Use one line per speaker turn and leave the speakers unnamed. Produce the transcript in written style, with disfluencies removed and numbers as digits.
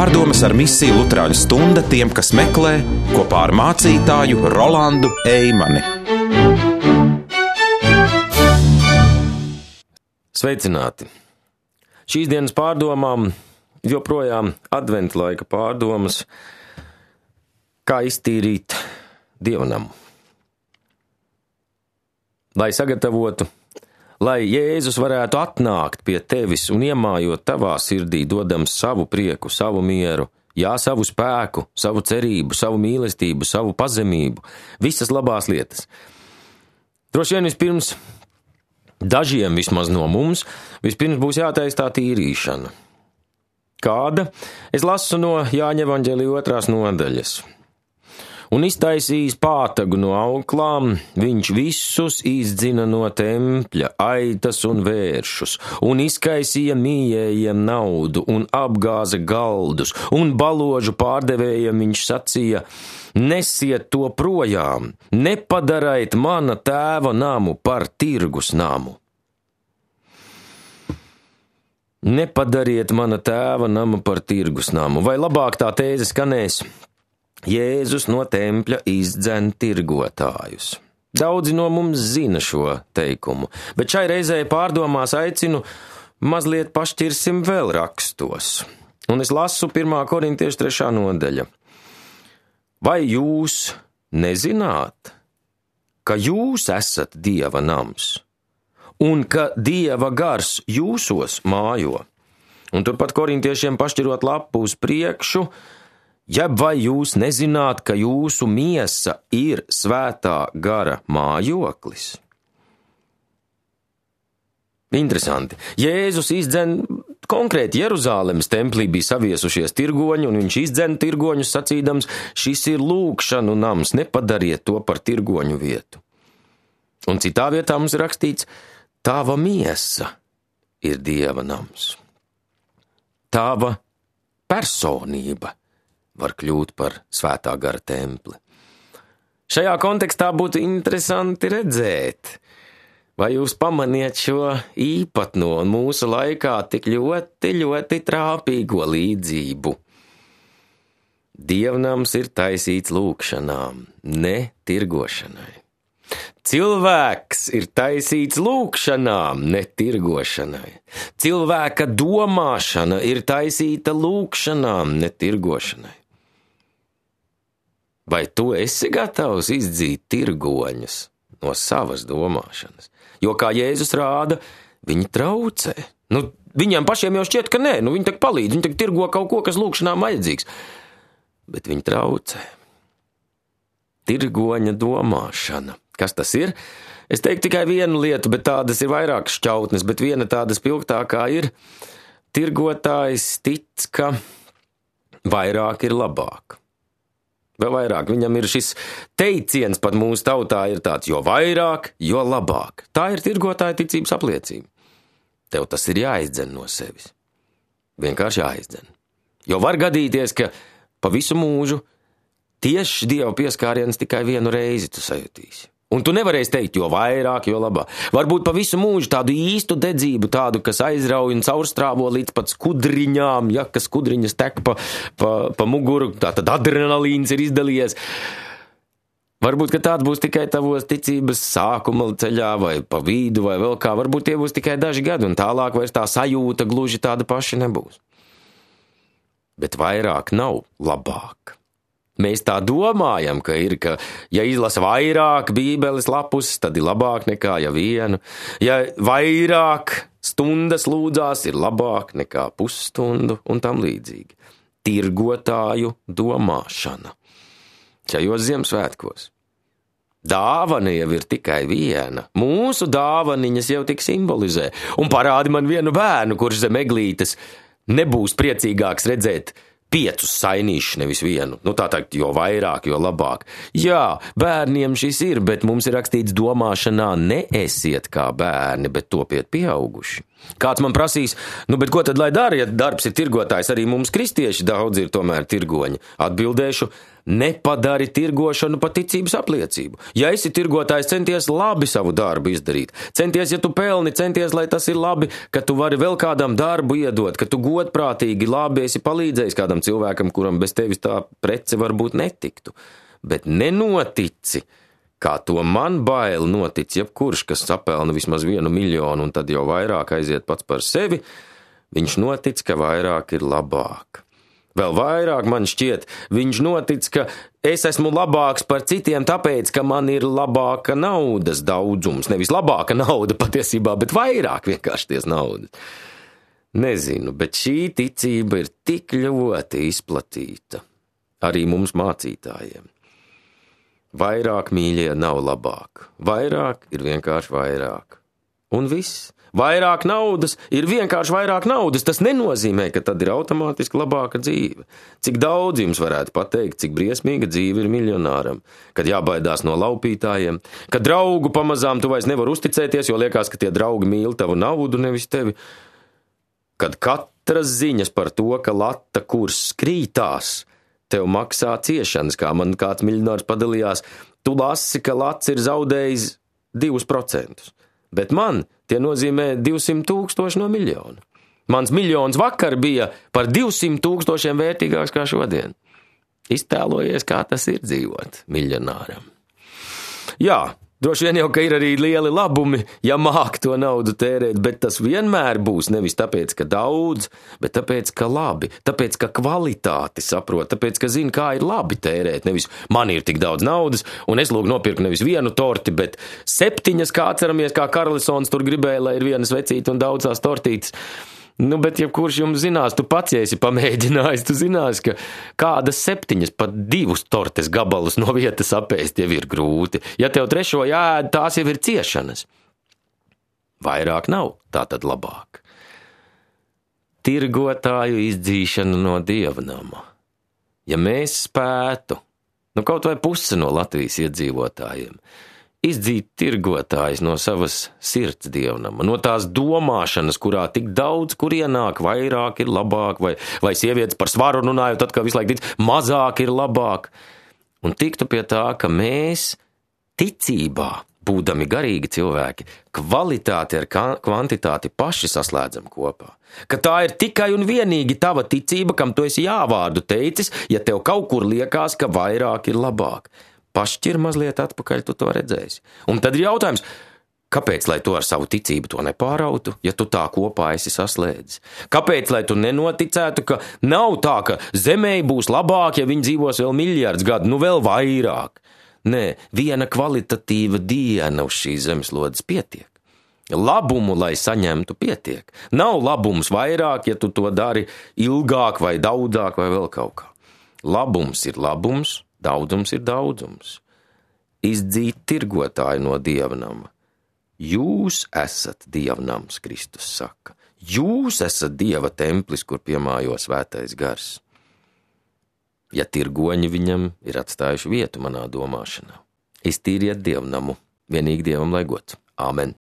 Pārdomas ar misiju Luterāņu stunda tiem, kas meklē, kopā ar mācītāju Rolandu Eimani.
Sveicināti! Šīs dienas pārdomām joprojām adventa laika pārdomas, kā iztīrīt dievnamu. Lai sagatavotu, lai Jēzus varētu atnākt pie tevis un iemājot tavā sirdī, dodams savu prieku, savu mieru, savu spēku, savu cerību, savu mīlestību, savu pazemību, visas labās lietas. Droši vien vispirms, dažiem vismaz no mums, vispirms būs jātaisa tā tīrīšana. Kāda? Es lasu no Jāņa evaņģēlija 2. nodaļas. Un iztaisījis pātagu no auklām, viņš visus izdzina no tempļa, aitas un vēršus, un izkaisīja mījējiem naudu, un apgāza galdus, un baložu pārdevējiem viņš sacīja: nesiet to projām, nepadaraiet mana tēva namu par tirgus namu. Nepadariet mana tēva namu par tirgus namu, vai labāk tā tēze skanēs: Jēzus no tempļa izdzen tirgotājus. Daudzi no mums zina šo teikumu, bet šai reizē pārdomās aicinu mazliet pašķirsim vēl rakstos. Un es lasu 1. korintiešu 3. nodaļa. Vai jūs nezināt, ka jūs esat Dieva nams, un ka Dieva gars jūsos mājo? Un turpat korintiešiem pašķirot lapu uz priekšu, jeb vai jūs nezināt, ka jūsu miesa ir svētā gara mājoklis? Interesanti. Jēzus izdzen konkrēti Jeruzālemes templī bija saviesušies tirgoņi, un viņš izdzen tirgoņus sacīdams: šis ir lūgšanu nams, nepadariet to par tirgoņu vietu. Un citā vietā mums ir rakstīts: tava miesa ir Dieva nams. Tava personība var kļūt par svētā gara templi. Šajā kontekstā būtu interesanti redzēt, vai jūs pamaniet šo īpatno un mūsu laikā tik ļoti trāpīgo līdzību. Dievnams ir taisīts lūgšanām, ne tirgošanai. Cilvēks ir taisīts lūgšanām, ne tirgošanai. Cilvēka domāšana ir taisīta lūgšanām, ne tirgošanai. Vai tu esi gatavs izdzīt tirgoņus no savas domāšanas? Jo, kā Jēzus rāda, viņi traucē. Viņiem pašiem jau šķiet, ka nē, viņi tak palīdz, viņi tak tirgo kaut ko, kas lūgšanām vajadzīgs. Bet viņi traucē. Tirgoņa domāšana. Kas tas ir? Es teiktu tikai vienu lietu, bet tādas ir vairākas šķautnes, bet viena tāda spilgtākā ir: tirgotājs tic, ka vairāk ir labāk. Vēl vairāk, viņam ir šis teiciens pat mūsu tautā ir tāds: jo vairāk, jo labāk. Tā ir tirgotāja ticības apliecība. Tev tas ir jāizdzen no sevis. Vienkārši jāizdzen. Jo var gadīties, ka pa visu mūžu tieši Dieva pieskāriens tikai vienu reizi tu sajutīsi. Un tu nevarēsi teikt, jo vairāk, jo labāk. Varbūt pa visu mūžu tādu īstu dedzību, tādu, kas aizrauj un caurstrāvo līdz pat skudriņām, kas skudriņas tek pa muguru, tātad adrenalīns ir izdalījies. Varbūt, ka tāds būs tikai tavos ticības sākuma ceļā vai pa vidu vai vēl kā. Varbūt tie būs tikai daži gadi un tālāk vairs tā sajūta gluži tāda paša nebūs. Bet vairāk nav labāk. Mēs tā domājam, ka ja izlasa vairāk bībeles lapus, tad ir labāk nekā ja vienu. Ja vairāk stundas lūdzās, ir labāk nekā pusstundu un tam līdzīgi. Tirgotāju domāšana. Šajos Ziemassvētkos. Dāvana jau ir tikai viena. Mūsu dāvaniņas jau tik simbolizē. Un parādi man vienu bērnu, kurš zem eglītes nebūs priecīgāks redzēt 5 sainīšus, nevis vienu. Tā teikt, jo vairāk, jo labāk. Jā, bērniem šis ir, bet mums ir rakstīts domāšanā: neesiet kā bērni, bet topiet pieauguši. Kāds man prasīs, bet ko tad lai dara, ja darbs ir tirgotājs, arī mums kristieši daudz ir tomēr tirgoņi? Atbildēšu, nepadari tirgošanu par ticības apliecību. Ja esi tirgotājs, centies labi savu darbu izdarīt. Centies, ja tu pelni, centies, lai tas ir labi, ka tu vari vēl kādam darbu iedot, ka tu godprātīgi labi esi palīdzējis kādam cilvēkam, kuram bez tevis tā prece varbūt netiktu. Bet nenotici, kā to man bail notic jebkurš, kas sapelna vismaz 1 miljonu un tad jau vairāk aiziet pats par sevi, viņš notic, ka vairāk ir labāk. Vēl vairāk man šķiet, viņš notic, ka es esmu labāks par citiem tāpēc, ka man ir labāka naudas daudzums. Nevis labāka nauda patiesībā, bet vairāk vienkārši ties naudas. Nezinu, bet šī ticība ir tik ļoti izplatīta arī mums mācītājiem. Vairāk, mīļie, nav labāk. Vairāk ir vienkārši vairāk. Un viss. Vairāk naudas ir vienkārši vairāk naudas. Tas nenozīmē, ka tad ir automātiski labāka dzīve. Cik daudz jums varētu pateikt, cik briesmīga dzīve ir miljonāram, kad jābaidās no laupītājiem, kad draugu pamazām tu vairs nevar uzticēties, jo liekas, ka tie draugi mīl tavu naudu, nevis tevi. Kad katras ziņas par to, ka lata kurs krītās, tev maksā ciešanas, kā man kāds miljonārs padalījās, tu lasi, ka lats ir zaudējis 2%, bet man tie nozīmē 200 000 no miljona. Mans miljons vakar bija par 200 000 vērtīgāks kā šodien. Iztēlojies, kā tas ir dzīvot miljonāram. Jā, droši vien jau, ka ir arī lieli labumi, ja māk to naudu tērēt, bet tas vienmēr būs nevis tāpēc, ka daudz, bet tāpēc, ka labi, tāpēc, ka kvalitāti saprot, tāpēc, ka zina, kā ir labi tērēt, nevis man ir tik daudz naudas, un es lūk nopirku nevis 1 torti, bet 7, kā atceramies, kā Karlisons tur gribēja, lai ir 1 vecīte un daudzās tortītes. Bet jebkurš jums zinās, tu pats, ja esi pamēģinājis, tu zinās, ka kādas 7 pat 2 tortes gabalus no vietas apēst jau ir grūti. Ja tev 3. jāēd, tās jau ir ciešanas. Vairāk nav, tā tad labāk. Tirgotāju izdzīšana no dievnama. Ja mēs spētu, kaut vai puse no Latvijas iedzīvotājiem, izdzīt tirgotājs no savas sirds dievnama, no tās domāšanas, kurā tik daudz, kur ienāk, vairāk ir labāk, vai sievietes par svaru runājot, tad, kā visu laiku tic, mazāk ir labāk. Un tiktu pie tā, ka mēs ticībā, būdami garīgi cilvēki, kvalitāti ar kvantitāti paši saslēdzam kopā. Ka tā ir tikai un vienīgi tava ticība, kam tu esi jāvārdu teicis, ja tev kaut kur liekas, ka vairāk ir labāk. Pašķir mazliet atpakaļ, tu to redzēsi. Un tad ir jautājums, kāpēc, lai tu ar savu ticību to nepārautu, ja tu tā kopā esi saslēdzis? Kāpēc, lai tu nenoticētu, ka nav tā, ka zemē būs labāk, ja viņi dzīvos vēl miljards gadu, vēl vairāk? Nē, 1 kvalitatīva diena uz šīs zemeslodes pietiek. Labumu, lai saņemtu, pietiek. Nav labums vairāk, ja tu to dari ilgāk vai daudzāk vai vēl kaut kā. Labums ir labums, daudzums ir daudzums. Izdzīt tirgotāju no dievnama. Jūs esat dievnams, Kristus saka. Jūs esat Dieva templis, kur piemājo svētais gars. Ja tirgoņi viņam ir atstājuši vietu manā domāšanā. Iztīriet dievnamu, vienīgi Dievam lai gods. Āmen.